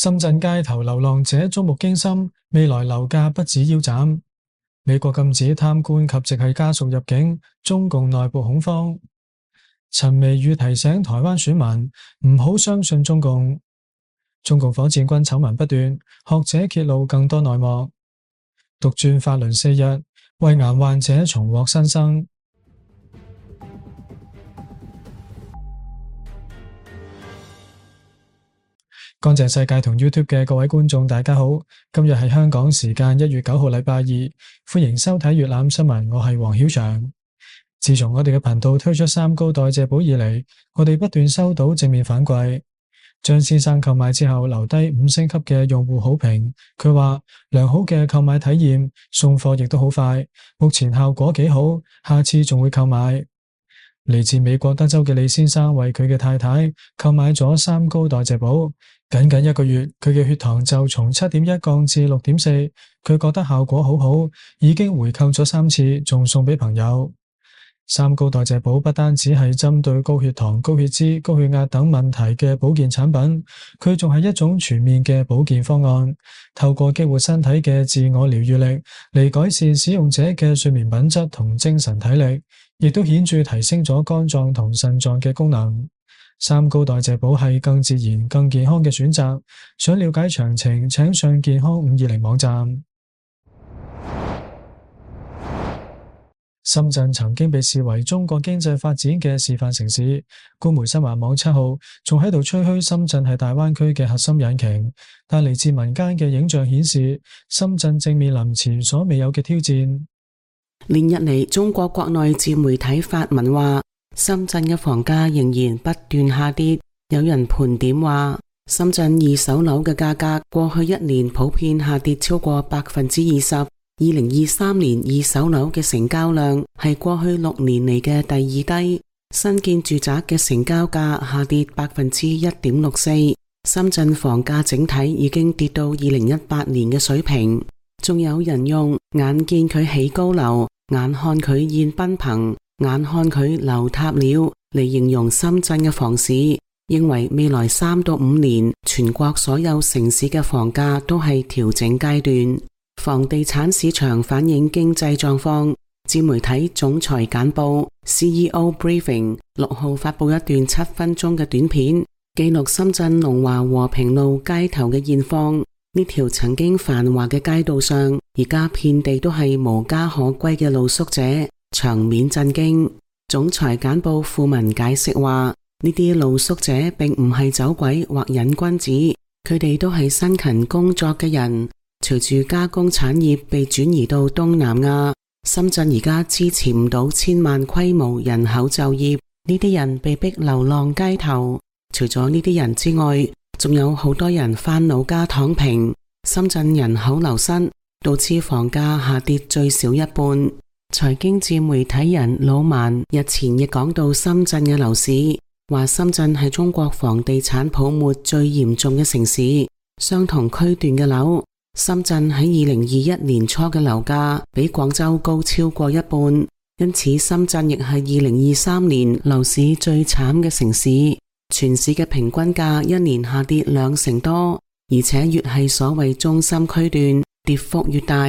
深圳街頭流浪者觸目驚心，未來樓價不止腰斬。美國禁止貪官及直系家屬入境，中共內部恐慌。陳微宇提醒台灣選民唔好相信中共。中共火箭軍醜聞不斷，學者揭露更多內幕。獨轉法輪4日，胃癌患者重獲新生。乾淨世界同 YouTube 嘅各位觀眾大家好，今日係香港時間1月9號禮拜二，歡迎收睇粵覽新聞，我係黃曉翔。自從我哋嘅頻道推出三高代謝寶以嚟，我哋不斷收到正面反饋。張先生購買之後留低5星級嘅用戶好評，佢話良好嘅購買體驗，送貨亦都好快，目前效果幾好，下次仲會購買。嚟自美國德州嘅李先生為佢嘅太太購買咗三高代謝寶，僅僅1個月，佢嘅血糖就從7.1降至6.4，佢覺得效果好好，已經回購咗3次，仲送俾朋友。三高代謝寶不單止係針對高血糖、高血脂、高血壓等問題嘅保健產品，佢仲係一種全面嘅保健方案，透過激活身體嘅自我療癒力嚟改善使用者嘅睡眠品質同精神體力，亦都顯著提升咗肝臟同腎臟嘅功能。三高代謝寶係更自然、更健康嘅選擇。想了解詳情，請上健康520網站。深圳曾經被視為中國經濟發展嘅示範城市，官媒新華網7號仲喺度吹噓深圳係大灣區嘅核心引擎，但嚟自民間嘅影像顯示，深圳正面臨前所未有嘅挑戰。連日嚟，中國國內自媒體發文話，深圳嘅房價仍然不斷下跌。有人盤點話，深圳二手樓嘅價格過去1年普遍下跌超過20%。2023年二手樓嘅成交量係過去6年嚟嘅第2低，新建住宅嘅成交價下跌1.64%。深圳房價整體已經跌到2018年嘅水平。仲有人用眼見佢起高樓，眼看佢現賓朋，眼看佢樓塌了嚟形容深圳嘅房市，認為未來3到5年全國所有城市嘅房價都係調整階段。房地產市場反映經濟狀況，自媒體總裁簡報 CEO Briefing 6號發佈一段7分鐘嘅短片，記錄深圳龍華和平路街頭嘅現況。呢條曾經繁華嘅街道上，而家遍地都係無家可歸嘅露宿者，場面震驚。總裁簡報附文解釋話，呢啲露宿者並唔係走鬼或癮君子，佢哋都係辛勤工作嘅人。隨住加工產業被轉移到東南亞，深圳而家支持唔到千萬規模人口就業，呢啲人被逼流浪街頭。除咗呢啲人之外，仲有好多人返老家躺平。深圳人口流失，導致房價下跌最少一半。財經自媒體人老萬日前亦講到深圳嘅樓市，話深圳係中國房地產泡沫最嚴重嘅城市。相同區段嘅樓，深圳喺2021年初嘅樓價比廣州高超過一半，因此深圳亦係2023年樓市最慘嘅城市。全市嘅平均價1年下跌20%多，而且越係所謂中心區段，跌幅越大。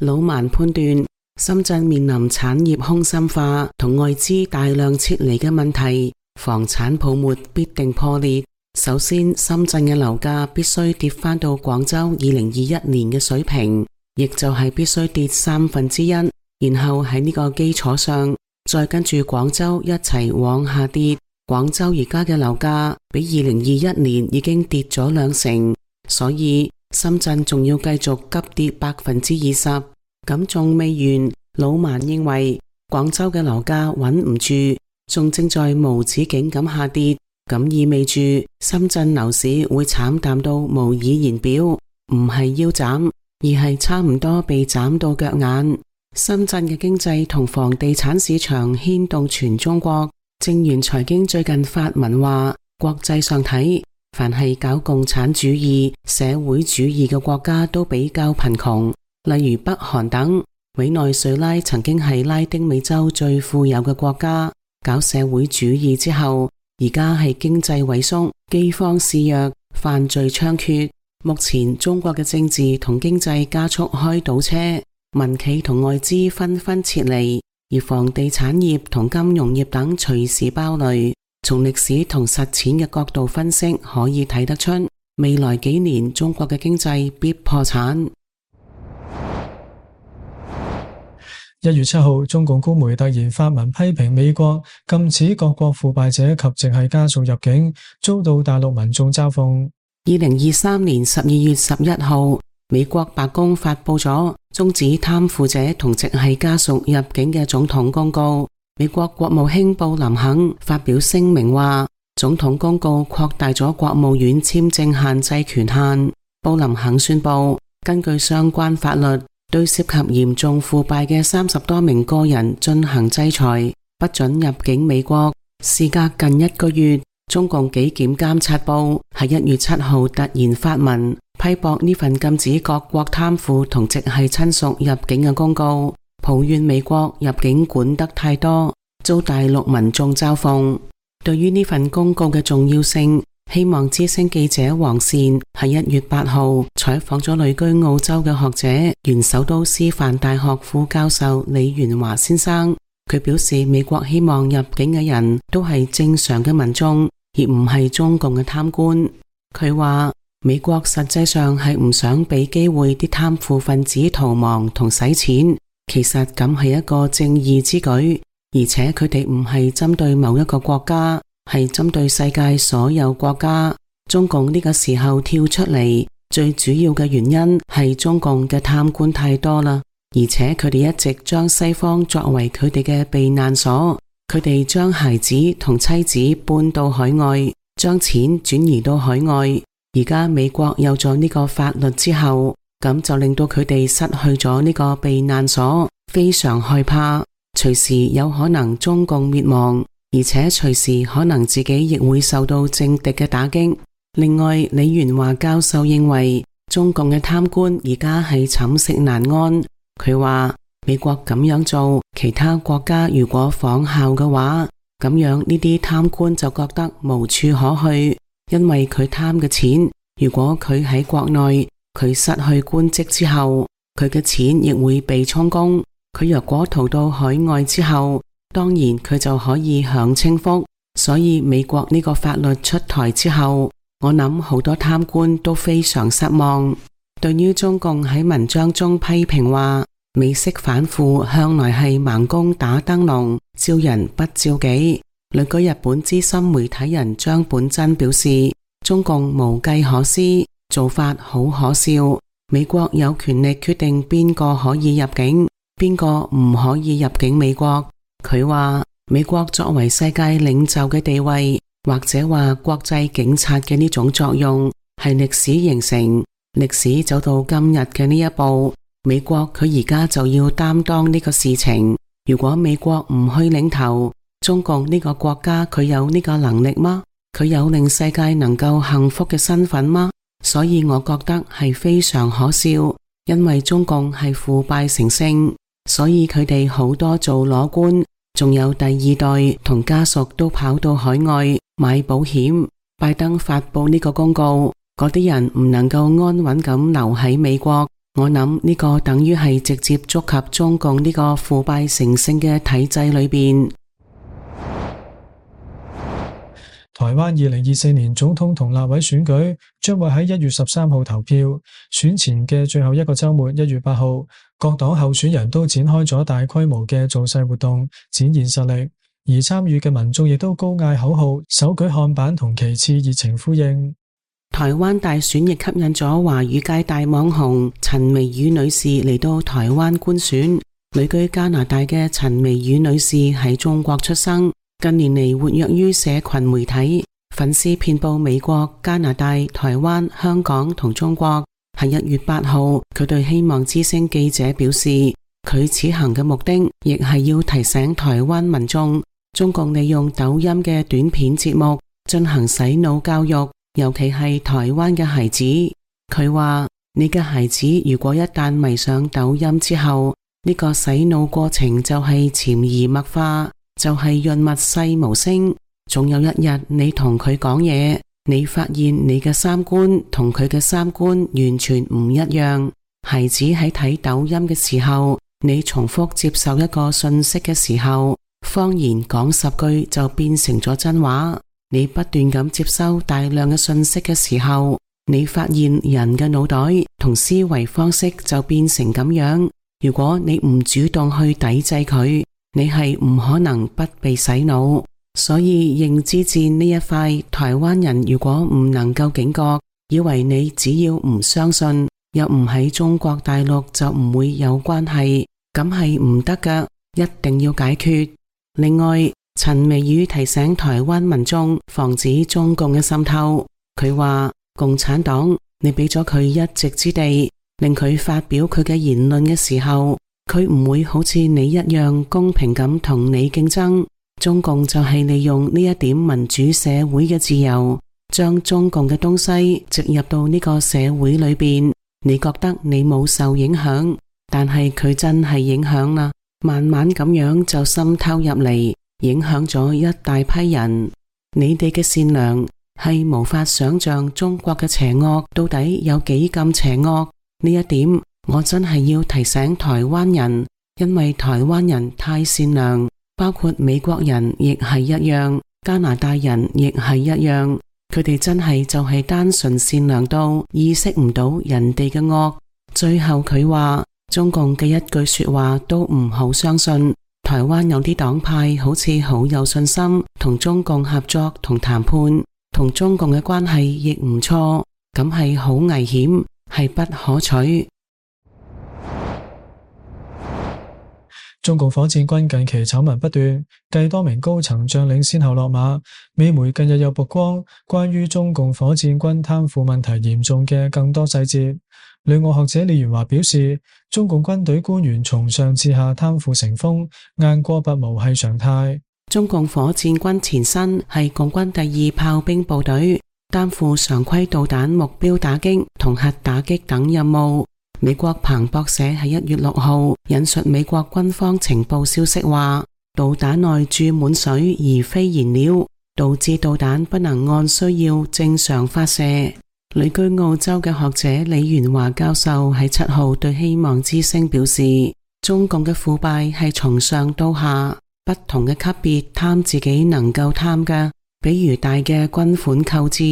老萬判斷，深圳面臨產業空心化同外資大量撤離嘅問題，房產泡沫必定破裂。首先，深圳嘅樓價必須跌返到廣州2021年嘅水平，亦就係必須跌1/3，然後喺呢個基礎上，再跟住廣州一齊往下跌。廣州而家嘅樓價比2021年已經跌咗20%，所以深圳仲要繼續急跌20%。咁仲未完，老萬認為廣州嘅樓價穩唔住，仲正在無止境咁下跌。咁意味住深圳樓市會慘淡到無以言表，唔係腰斬，而係差唔多被斬到腳眼。深圳嘅經濟同房地產市場牽動全中國。正如財經最近發文話，國際上睇，凡係搞共產主義、社會主義嘅國家都比較貧窮，例如北韓等。委內瑞拉曾經係拉丁美洲最富有嘅國家，搞社會主義之後，而家係經濟萎縮、饑荒肆虐、犯罪猖獗，目前中國嘅政治同經濟加速開倒車，民企同外資紛紛撤離，而房地產業同金融業等隨時爆雷。從歷史同實踐嘅角度分析，可以睇得出未來幾年中國嘅經濟必破產。1月7號，中共官媒突然發文批評美國禁止各國腐敗者及直系家屬入境，遭到大陸民眾嘲諷。2023年12月11號，美國白宮發佈咗終止貪腐者同直系家屬入境嘅總統公告。美國國務卿布林肯發表聲明話，總統公告擴大咗國務院簽證限制權限。布林肯宣布，根據相關法律，對涉及嚴重腐敗嘅30多名個人進行制裁，不准入境美國。事隔近1個月，中共紀檢監察部喺1月7號突然發文批駁呢份禁止各國貪腐同直系親屬入境嘅公告，抱怨美國入境管得太多，遭大陸民眾嘲諷。對於呢份公告嘅重要性，希望之聲記者黃善喺1月8號採訪咗旅居澳洲嘅學者、原首都師範大學副教授李元華先生。佢表示，美國希望入境嘅人都係正常嘅民眾，而唔係中共嘅貪官。佢話美國實際上係唔想俾機會啲貪腐分子逃亡同洗錢，其實咁係一個正義之舉，而且佢哋唔係針對某一個國家，係針對世界所有國家。中共呢個時候跳出嚟，最主要嘅原因係中共嘅貪官太多啦，而且佢哋一直將西方作為佢哋嘅避難所，佢哋將孩子同妻子搬到海外，將錢轉移到海外。而家美國有咗呢個法律之後，咁就令到佢哋失去咗呢個避難所，非常害怕，隨時有可能中共滅亡，而且隨時可能自己亦會受到政敵嘅打擊。另外，李元華教授認為中共嘅貪官而家係寢食難安。佢話美國咁樣做，其他國家如果仿效嘅話，咁樣呢啲貪官就覺得無處可去，因為佢貪嘅錢，如果佢喺國內，佢失去官職之後，佢嘅錢亦會被充公。佢若果逃到海外之後，當然佢就可以享清福。所以美國呢個法律出台之後，我諗好多貪官都非常失望。對於中共喺文章中批評話，美式反腐向來係盲公打燈籠，照人不照己。旅居日本資深媒體人張本真表示，中共無計可施，做法好可笑。美國有權力決定邊個可以入境，邊個唔可以入境美國。佢話美國作為世界領袖嘅地位，或者話國際警察嘅呢種作用，係歷史形成，歷史走到今日嘅呢一步，美國佢而家就要擔當呢個事情。如果美國唔去領頭，中共呢個國家佢有呢個能力嗎？佢有令世界能夠幸福嘅身份嗎？所以我覺得係非常可笑，因為中共係腐敗成性，所以佢哋好多做裸官，仲有第二代同家屬都跑到海外買保險。拜登發佈呢個公告，嗰啲人唔能夠安穩咁留喺美國，我諗呢個等於係直接觸及中共呢個腐敗成性嘅體制裏邊。台灣2024年總統同立委選舉將會喺1月13號投票，選前嘅最後一個週末1月8號，各黨候選人都展開咗大規模嘅造勢活動，展現實力，而參與嘅民眾亦都高嗌口號，手舉看板同旗幟熱情呼應。台灣大選亦吸引咗華語界大網紅陳微宇女士嚟到台灣觀選。旅居加拿大嘅陳微宇女士喺中國出生，近年嚟活躍於社群媒體，粉絲遍佈美國、加拿大、台灣、香港同中國。喺1月8號，佢對希望之聲記者表示，佢此行嘅目的亦係要提醒台灣民眾，中共利用抖音嘅短片節目進行洗腦教育，尤其係台灣嘅孩子。佢話，你嘅孩子如果一旦迷上抖音之後，呢個洗腦過程就係潛移默化，就係潤物細無聲，總有一日你同佢講嘢，你發現你嘅三觀同佢嘅三觀完全唔一樣。孩子喺睇抖音嘅時候，你重複接受一個信息嘅時候，謊言講10句就變成咗真話。你不斷咁接收大量嘅信息嘅時候，你發現人嘅腦袋同思維方式就變成咁樣。如果你唔主動去抵制佢，你係唔可能不被洗腦。所以認知戰呢一塊，台灣人如果唔能夠警覺，以為你只要唔相信，又唔喺中國大陸就唔會有關係，咁係唔得㗎，一定要解決。另外，陳美宇提醒台灣民眾防止中共嘅滲透。佢話共產黨，你俾咗佢一席之地，令佢發表佢嘅言論嘅時候，佢唔會好似你一樣公平咁同你競爭。中共就係利用呢一點民主社會嘅自由，將中共嘅東西植入到呢個社會裏邊。你覺得你冇受影響，但係佢真係影響啦，慢慢咁樣就滲透入嚟，影響咗一大批人。你哋嘅善良係無法想象中國嘅邪惡到底有幾咁邪惡。呢一點我真係要提醒台灣人，因為台灣人太善良。包括美國人亦係一樣，加拿大人亦係一樣，佢哋真係就係單純善良到意識唔到人哋嘅惡。最後佢話中共嘅一句說話都唔好相信，台灣有啲黨派好似好有信心同中共合作同談判，同中共嘅關係亦唔錯，咁係好危險，係不可取。中共火箭軍近期醜聞不斷，繼多名高層將領先後落馬，美媒近日又曝光關於中共火箭軍貪腐問題嚴重嘅更多細節。旅外學者李元華表示，中共軍隊官員從上至下貪腐成風，雁過拔毛係常態。中共火箭軍前身係共軍第2炮兵部隊，擔負常規導彈目標打擊同核打擊等任務。美國彭博社喺1月6號引述美國軍方情報消息話，導彈內注滿水而非燃料，導致導彈不能按需要正常發射。旅居澳洲嘅學者李元華教授喺7號對希望之聲表示，中共嘅腐敗係從上到下，不同嘅級別貪自己能夠貪嘅，比如大嘅軍款購置，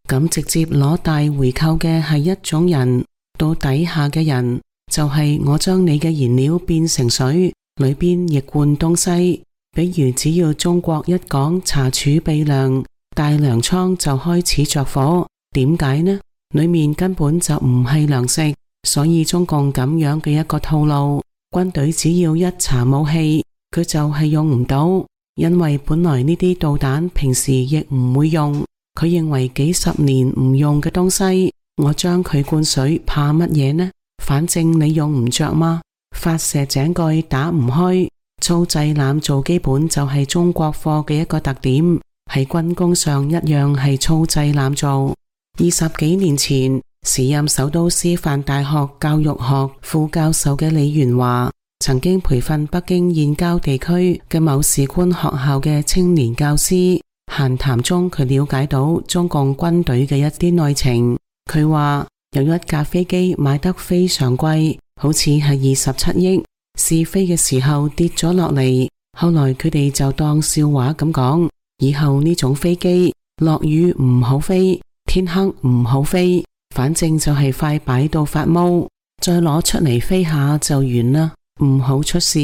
咁直接攞大回扣嘅係一種人。到底下嘅人就係我將你嘅燃料變成水，裏邊亦灌東西。比如只要中國一講查儲備糧，大糧倉就開始着火。點解呢？裏面根本就唔係糧食，所以中共咁樣嘅一個套路，軍隊只要一查武器，佢就係用唔到，因為本來呢啲導彈平時亦唔會用，佢認為幾十年唔用嘅東西，我將佢灌水怕乜嘢呢？反正你用唔着嘛。發射井蓋打唔開，粗製濫造基本就係中國貨嘅一個特點，喺軍工上一樣係粗製濫造。20幾年前，時任首都師範大學教育學副教授嘅李元華，曾經培訓北京燕郊地區嘅某士官學校嘅青年教師。閒談中，佢了解到中共軍隊嘅一啲內情。佢話有一架飛機買得非常貴，好似係27億，試飛嘅時候跌咗落嚟，後來佢哋就當笑話咁講，以後呢種飛機落雨唔好飛，天黑唔好飛，反正就係快擺到發毛，再攞出嚟飛下就完啦，唔好出事。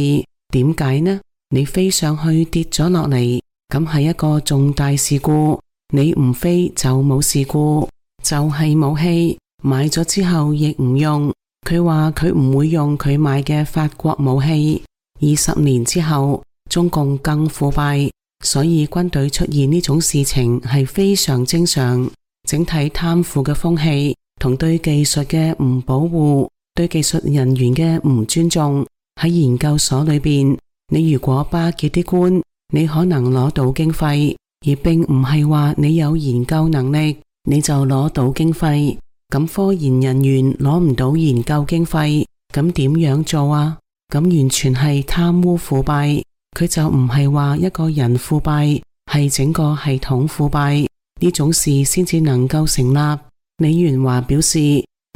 點解呢？你飛上去跌咗落嚟，咁係一個重大事故，你唔飛就冇事故。就係武器買咗之後亦唔用，佢話佢唔會用佢買嘅法國武器。20年之後，中共更腐敗，所以軍隊出現呢種事情係非常正常。整體貪腐嘅風氣同對技術嘅唔保護，對技術人員嘅唔尊重，喺研究所裏邊，你如果巴結啲官，你可能攞到經費，而並唔係話你有研究能力你就攞到經費。咁科研人員攞唔到研究經費，咁點樣做啊？咁完全係貪污腐敗。佢就唔係話一個人腐敗，係整個系統腐敗。呢種事先至能夠成立。李元華表示，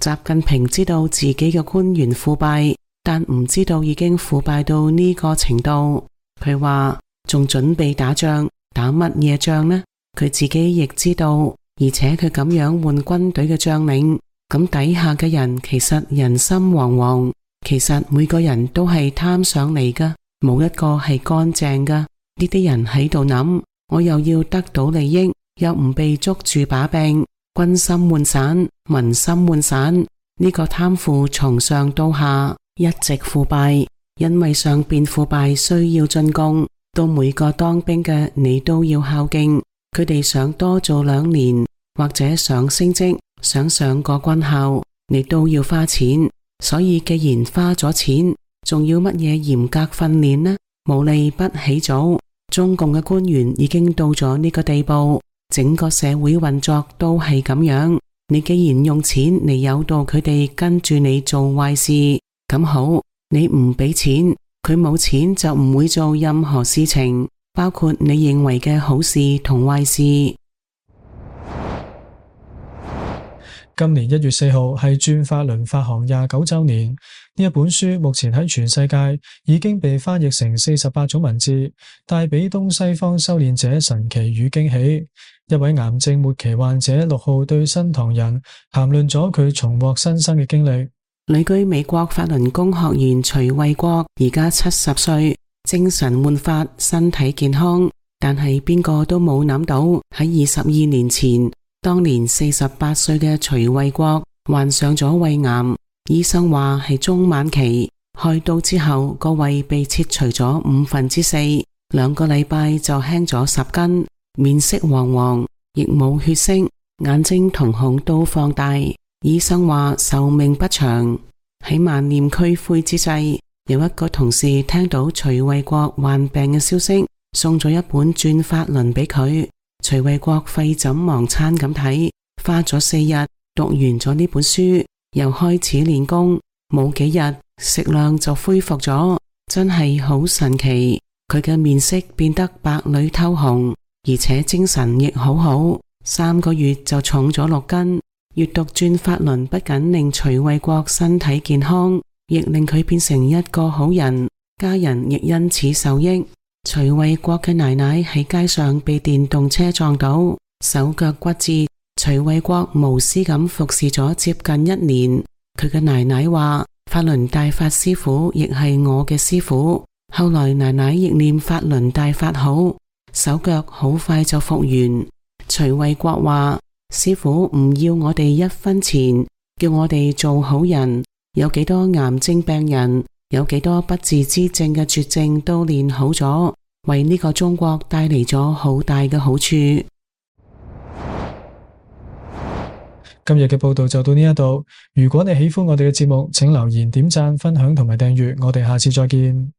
習近平知道自己嘅官員腐敗，但唔知道已經腐敗到呢個程度。佢話仲準備打仗，打乜嘢仗呢？佢自己亦知道，而且佢咁樣換軍隊嘅將領，咁底下嘅人其實人心惶惶，其實每個人都係貪上嚟㗎，冇一個係乾淨㗎。呢啲人喺度諗，我又要得到利益，又唔被捉住把柄，軍心渙散，民心渙散。呢個貪腐從上到下一直腐敗，因為上邊腐敗需要進貢，到每個當兵嘅你都要孝敬，佢哋想多做2年，或者想升職，想上個軍校，你都要花錢。所以既然花咗錢，仲要乜嘢嚴格訓練呢？無利不起早。中共嘅官員已經到咗呢個地步，整個社會運作都係咁樣。你既然用錢嚟誘導佢哋跟住你做壞事，咁好，你唔俾錢，佢冇錢就唔會做任何事情，包括你認為嘅好事同壞事。今年1月4號係轉法輪發行29週年，呢一本書目前喺全世界已經被翻譯成48種文字，帶俾東西方修煉者神奇與驚喜。一位癌症末期患者6號對新唐人談論咗佢重獲新生嘅經歷。旅居美國法輪功學員徐衛國而家70歲，精神煥發，身體健康，但係邊個都冇諗到喺22年前，當年48歲嘅徐衛國患上咗胃癌，醫生話係中晚期，開刀之後個胃被切除咗4/5，2個禮拜就輕咗10斤，面色黃黃，亦冇血色，眼睛瞳孔都放大，醫生話壽命不長。喺萬念俱灰之際，有一個同事聽到徐衛國患病嘅消息，送咗一本轉法輪俾佢。徐衛國廢寢忘餐咁睇，花咗4日讀完咗呢本書，又開始練功，冇幾日食量就恢復咗，真係好神奇。佢嘅面色變得白裡透紅，而且精神亦好好，3個月就重咗6斤。閱讀轉法輪不僅令徐衛國身體健康，亦令佢變成一個好人，家人亦因此受益。徐衛國嘅奶奶喺街上被電動車撞到，手腳骨折。徐衛國無私咁服侍咗接近1年。佢嘅奶奶話，法輪大法師父亦係我嘅師父。後來奶奶亦念法輪大法好，手腳好快就復原。徐衛國話，師父唔要我哋1分錢，叫我哋做好人。有幾多癌症病人，有幾多不治之症嘅絕症都練好咗，為呢個中國帶嚟咗好大嘅好處。今日嘅報道就到呢一度。如果你喜歡我哋嘅節目，請留言、點讚、分享同埋訂閱。我哋下次再見。